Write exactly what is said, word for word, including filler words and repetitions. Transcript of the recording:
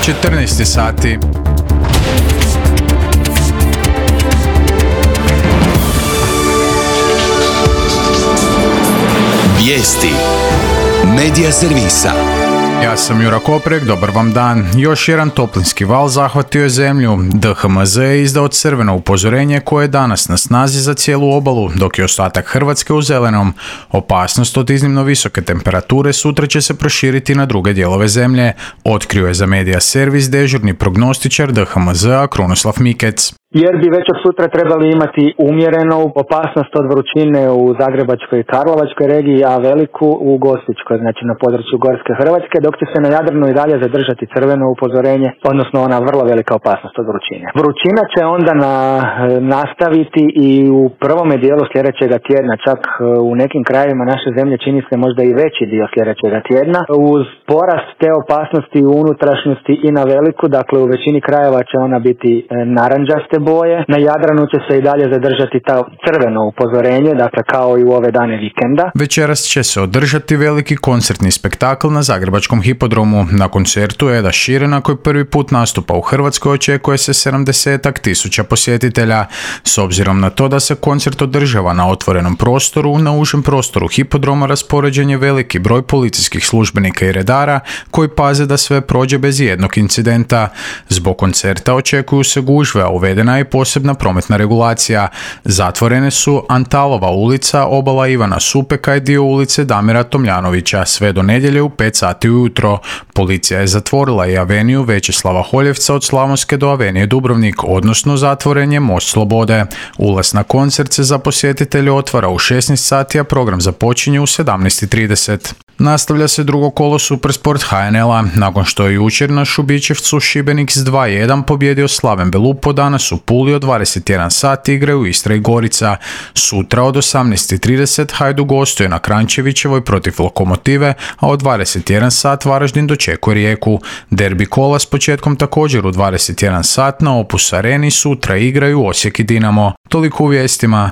četrnaest sati. Vijesti Medija servisa. Ja sam Jura Koprek, dobar vam dan. Još jedan toplinski val zahvatio je zemlju. D H M Z je izdao crveno upozorenje koje je danas na snazi za cijelu obalu, dok je ostatak Hrvatske u zelenom. Opasnost od iznimno visoke temperature sutra će se proširiti na druge dijelove zemlje, otkrio je za Medija servis dežurni prognostičar D H M Z-a Krunoslav Mikec. Jer bi već od sutra trebali imati umjerenu opasnost od vrućine u Zagrebačkoj i Karlovačkoj regiji, a veliku u Gospićkoj, znači na području Gorske Hrvatske, dok će se na Jadranu i dalje zadržati crveno upozorenje, odnosno ona vrlo velika opasnost od vrućine. Vrućina će onda na, nastaviti i u prvome dijelu sljedećega tjedna, čak u nekim krajevima naše zemlje čini se možda i veći dio sljedećega tjedna, uz porast te opasnosti u unutrašnjosti i na veliku, dakle u većini krajeva će ona biti naranđaste boje. Na Jadranu će se i dalje zadržati ta crveno upozorenje, dakle kao i u ove dane vikenda. Večeras će se održati veliki koncertni spektakl na Zagrebačkom hipodromu. Na koncertu Eda Sheerana, koji prvi put nastupa u Hrvatskoj, očekuje se sedamdesetak tisuća posjetitelja. S obzirom na to da se koncert održava na otvorenom prostoru, na užem prostoru hipodroma raspoređen je veliki broj policijskih službenika i redara koji paze da sve prođe bez jednog incidenta. Zbog koncerta očekuju se gužve, a uvedena je posebna prometna regulacija. Zatvorene su Antalova ulica, obala Ivana Supeka i dio ulice Damira Tomljanovića sve do nedjelje u pet sati ujutro. Policija je zatvorila i aveniju Većeslava Holjevca od Slavonske do avenije Dubrovnik, odnosno zatvoren je Most Slobode. Ulaz na koncert se za posjetitelje otvara u šesnaest sati, a program započinje u sedamnaest trideset. Nastavlja se drugo kolo Supersport H N L-a. Nakon što je jučer na Šubićevcu Šibenik s dva jedan pobjedio Slaven Belupo, danas u Puli od dvadeset jedan sati igraju Istra i Gorica. Sutra od osamnaest trideset Hajduk gostuje na Kranjčevićevoj protiv Lokomotive, a od dvadeset jedan sat Varaždin dočekuje Rijeku. Derbi kola s početkom također u dvadeset jedan sat na Opus Areni sutra igraju Osijek i Dinamo. Toliko u vijestima.